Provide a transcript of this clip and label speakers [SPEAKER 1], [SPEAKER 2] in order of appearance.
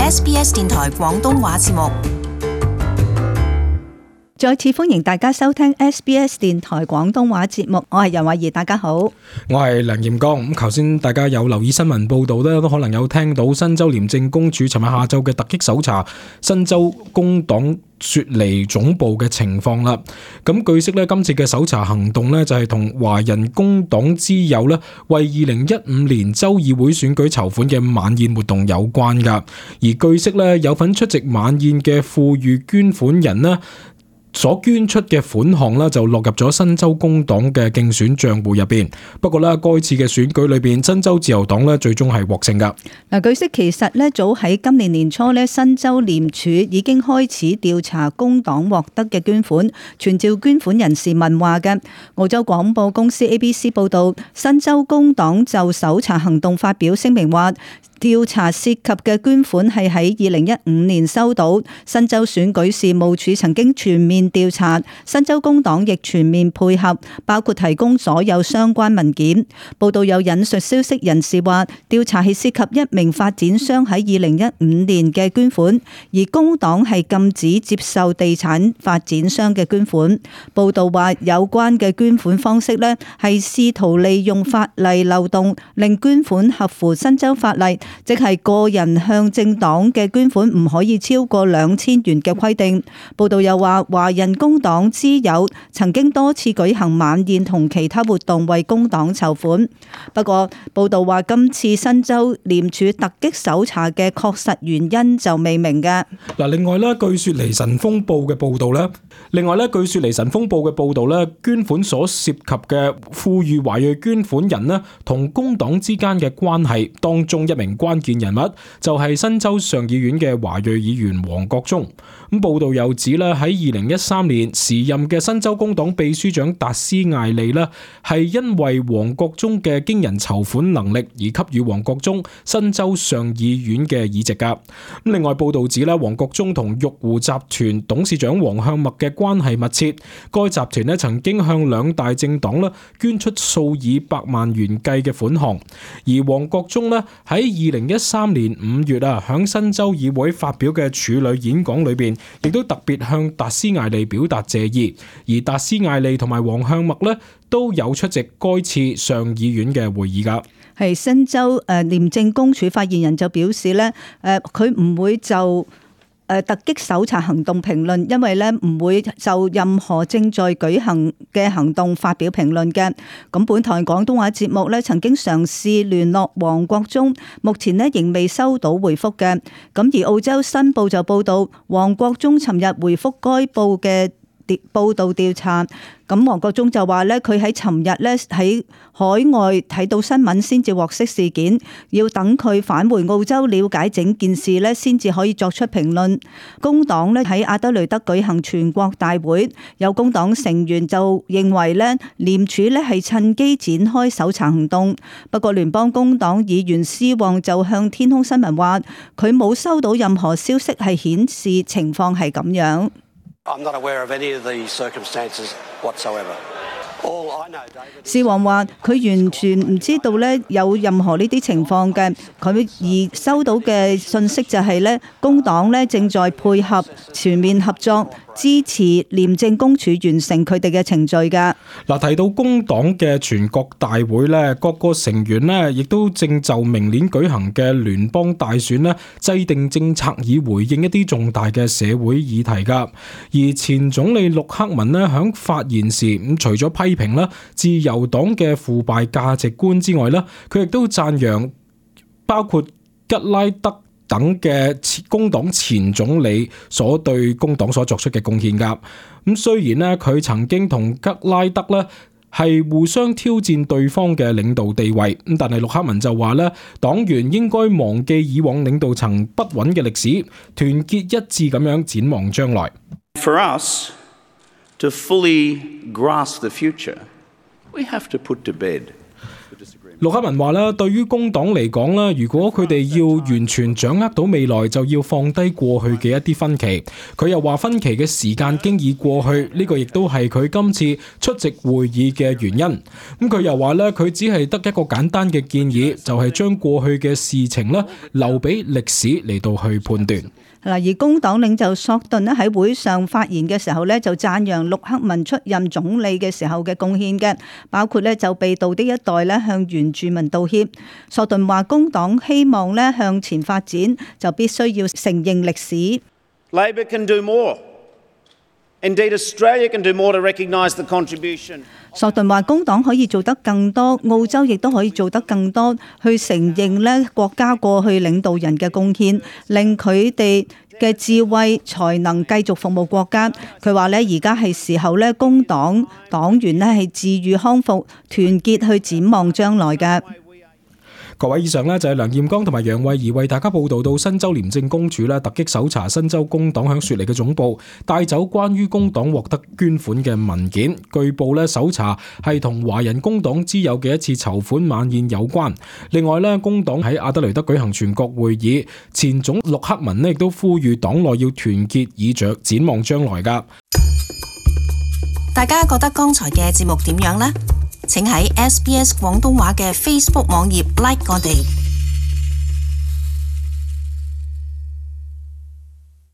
[SPEAKER 1] SBS 電台廣東話節目。
[SPEAKER 2] 再次歡迎大家收聽 SBS 電台廣東話節目，我係楊慧儀，大家好。
[SPEAKER 3] 我係梁炎剛。咁頭先大家有留意新聞報道咧，都可能有聽到新州廉政公署尋日下晝嘅突擊搜查新州工黨雪梨總部嘅情況啦。咁據悉咧，今次嘅搜查行動咧就係同華人工黨之友咧為2015年州議會選舉籌款嘅晚宴活動有關噶。而據悉咧，有份出席晚宴嘅富裕捐款人咧所捐出嘅款項咧就落入咗新州工黨嘅競選賬戶入邊。不過咧，該次嘅選舉裏邊，新州自由黨咧最終係獲勝噶。
[SPEAKER 2] 嗱，據悉其實咧早喺今年年初咧，新州廉署已經開始調查工黨獲得嘅捐款，傳召捐款人士問話嘅。澳洲廣播公司 ABC 報道，新州工黨就搜查行動發表聲明話，調查涉及嘅捐款係喺2015年收到。新州選舉事務處曾經全面調查，新州工黨亦全面配合，包括提供所有相關文件。報道有引述消息人士話，調查係涉及一名發展商喺2015年嘅捐款，而工黨係禁止接受地產發展商嘅捐款。報道話有關嘅捐款方式呢，係試圖利用法例漏洞，令捐款合乎新州法例，即係個人向政黨嘅捐款唔可以超過2000元嘅規定。報道又話，華人工黨之友曾經多次舉行晚宴同其他活動為工黨籌款。不過，報道話今次新州廉署突擊搜查嘅確實原因就未明嘅。
[SPEAKER 3] 另外咧，據雪梨晨鋒報嘅報道咧，捐款所涉及嘅富裕華裔捐款人咧，同工黨之間嘅關係當中一名關鍵人物就係新州上議院嘅華裔議員黃國忠。咁報道又指咧，喺2013年時任嘅新州工黨秘書長達斯艾利咧，係因為黃國忠嘅驚人籌款能力而給予黃國忠新州上議院嘅議席噶。另外報道指咧，黃國忠同玉湖集團董事長黃向默嘅關係密切，該集團咧曾經向兩大政黨咧捐出數以百萬元計嘅款項。而黃國忠咧喺2013年5月響新州議會發表嘅處女演講裏邊，亦都特別向達斯艾利表達謝意。而達斯艾利同埋黃向默咧都有出席該次上議院嘅會議噶。
[SPEAKER 2] 係新州廉政公署發言人就表示咧，佢唔會就突擊搜查行動評論，因為咧唔會就任何正在舉行嘅行動發表評論嘅。咁本台廣東話節目咧曾經嘗試聯絡黃國忠，目前咧仍未收到回覆嘅。咁而澳洲新報就報道，黃國忠尋日回覆該報嘅報道調查。咁黃國忠就話咧，佢喺尋日咧喺海外睇到新聞先至獲悉事件，要等佢返回澳洲了解整件事咧，先至可以作出評論。工黨咧喺阿德雷德舉行全國大會，有工黨成員就認為咧廉署咧係趁機展開搜查行動。不過聯邦工黨議員施旺就向天空新聞話，佢冇收到任何消息係顯示情況係咁樣。
[SPEAKER 4] I'm not aware of any of the circumstances whatsoever.
[SPEAKER 2] 施旺話：佢完全唔知道咧有任何呢啲情況嘅，佢而收到嘅信息就係咧工黨咧正在配合全面合作，支持廉政公署完成佢哋嘅程序㗎。
[SPEAKER 3] 提到工黨嘅全國大會咧，各個成員咧亦都正就明年舉行嘅聯邦大選咧制定政策，以回應一啲重大嘅社會議題㗎。而前總理陸克文咧響發言時，除咗批評啦自由黨嘅腐敗價值觀之外咧，佢亦都讚揚包括吉拉德等嘅工黨前總理所對工黨所作出嘅貢獻噶。咁雖然咧佢曾經同吉拉德咧係互相挑戰對方嘅領導地位，咁但係陸克文就話咧，黨員應該忘記以往領導層不穩嘅歷史，團結一致咁樣展望將來。
[SPEAKER 5] For us to fully grasp the future, we have to put to bed the disagreement.
[SPEAKER 3] 陸克文話啦，對於工黨嚟講啦，如果佢哋要完全掌握到未來，就要放低過去嘅一啲分歧。佢又話分歧嘅時間經已過去，呢個亦都係佢今次出席會議嘅原因。咁佢又話咧，佢只係得一個簡單嘅建議，就係將過去嘅事情咧留俾歷史嚟到去判斷。
[SPEAKER 2] 而工黨領袖索頓咧喺會上發言嘅時候咧，就讚揚陸克文出任總理嘅時候嘅貢獻嘅，包括咧就被盜的一代咧向原住民道歉。索頓話工黨希望咧向前發展，就必須要承認歷史。
[SPEAKER 5] Labor can do more. Indeed, Australia can do more to recognise the contribution.
[SPEAKER 2] 索頓話工黨可以做得更多，澳洲亦都可以做得更多，去承認咧國家過去領導人嘅貢獻，令佢哋嘅智慧才能繼續服務國家。佢話咧而家係時候咧，工黨黨員咧係治癒康復，團結去展望將來嘅。
[SPEAKER 3] 各位，以上呢就係梁彥剛同埋楊慧儀為大家報道到新州廉政公署突擊搜查新州工黨響雪梨嘅總部，帶走關於工黨獲得捐款嘅文件。據報搜查係同華人工黨之友嘅一次籌款晚宴有關。另外工黨喺阿德雷德舉行全國會議，前總陸克文亦都呼籲黨內要團結以着展望將來㗎。
[SPEAKER 1] 大家覺得剛才嘅節目點樣呢？請喺SBS 廣東話嘅 Facebook 網頁 like 我哋。